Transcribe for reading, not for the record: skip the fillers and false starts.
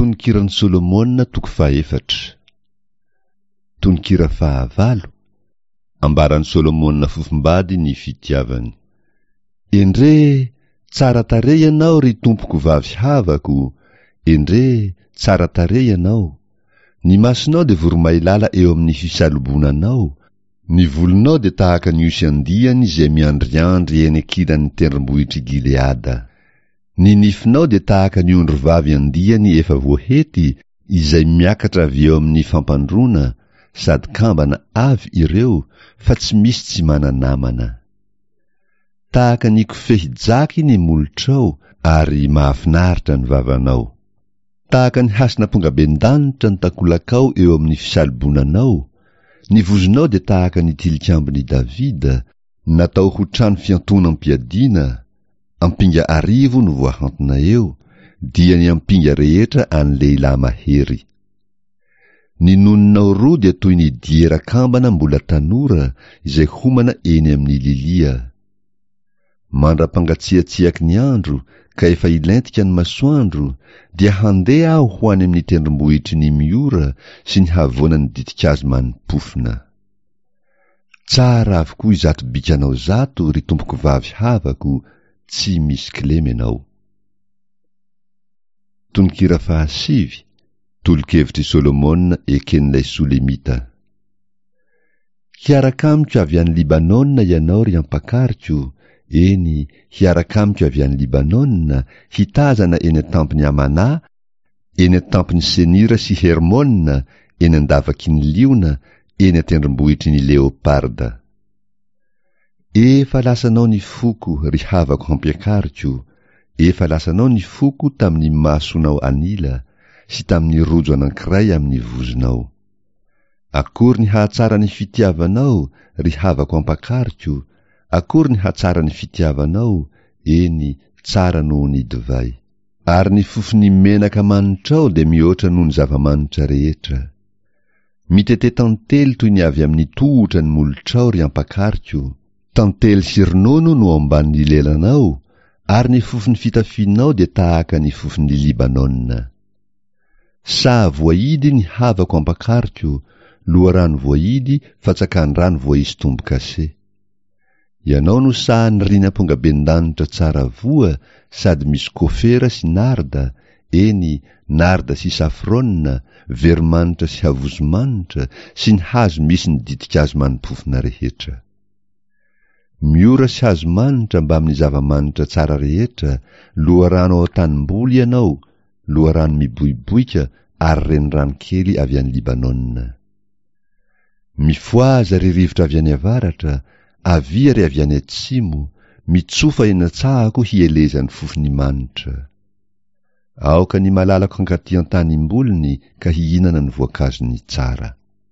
Tononkiran'i Solomona toko fahefatra. Tononkira fahavalo, Ambaran'i Solomona fofombady ny fitiavany. Endrey, tsara tarehy ianao ry tompoko vavy havako, endrey, tsara tarehy ianao. Ny masonao dia voromailala eo amin'ny fisalobonanao, ny volonao dia tahaka ny osy andiany izay miandriandry eny ankilan'ny tendrombohitr'i Gileada. Ny nifinao dia tahaka ny ondry vavy andiany efa voahety izay miakatra avy eo amin'ny fampandroana sady kambana avy ireo fa tsy misy tsy mana-namana. Tahaka ny kofehy jaky ny molotrao ary mahafinaritra ny vavanao. Tahaka ny hasin'ampongabendanitra ny takolakao eo amin'ny fisalobonanao, ny vozonao dia tahaka ny tilikambon'i Davida, natao ho trano fiantonam-piadiana, Ampinga arivo no voahantona eo, dia ny ampinga rehetra an'ny lehilahy mahery. Ny nononao roa dia toy ny diera kambana mbola tanora izay homana eny amin'ny lilia. Mandra-pangatsiatsiaky ny andro ka efa hilentika ny masoandro, dia handeha aho ho any amin'ny tendrombohitry ny miora sy ny havoanan'ny ditin-kazo mani-pofona. Tsara avokoa izato bikanao izato ry tompokovavy havako, tsy misy kilema ianao. Tononkira fahasivy, Tolo-kevitr'i Solomona eken'ilay Solemita. Hiaraka amiko avy any Libanona ianao ry ampakariko, eny, hiaraka amiko avy any Libanona, hitazana eny an-tampon'i Amanà, Eny an-tampon'i Senira sy Hermona, eny an-davaky ny liona, eny an-tendrombohitry ny leoparda. Efa lasanao ny foko, ry havako hampiakariko, efa lasanao ny foko tamin'ny masonao an'ila, sy tamin'ny rojo anankiray amin'ny vozonao. Akory ny hahatsara ny fitiavanao, ry havako ampakariko, akory ny hatsara ny fitiavanao, eny, tsara noho ny divay. Ary ny fofon'ny menaka manitrao dia mihoatra noho ny zava-manitra rehetra. Mitete tantely toy ny avy amin'ny tohotra ny molotrao, ry ampakariko, tantely sy ronono no ao ambanin'ny lelanao, ary ny fofon'ny fitafianao dia tahaka ny fofon'i Libanona. Saha voahidy ny havako ampakariko, loharano voahidy fatsakan-drano voaisy tombo-kase. Ianao no sahan'ny riny ampongabendanitra tsara voa sady misy kofera sy narda, eny, narda sy safrôna, veromanitra sy havozomanitra, sy ny hazo misy ny ditin-kazo mani-pofona rehetra. Miora sy hazo manitra mbamin'ny zava-manitra tsara rehetra, loharano ao an-tanimboly ianao, loharano miboiboika ary renirano kely avy any Libanona. Mifohaza ry rivotra avy any avaratra, avia ry avy any atsimo, mitsofa eny an-tsahako hielezan'ny fofon'ny manitra. Aoka ny malalako hankaty an-tanimboliny ka hihinana ny voankazony tsara.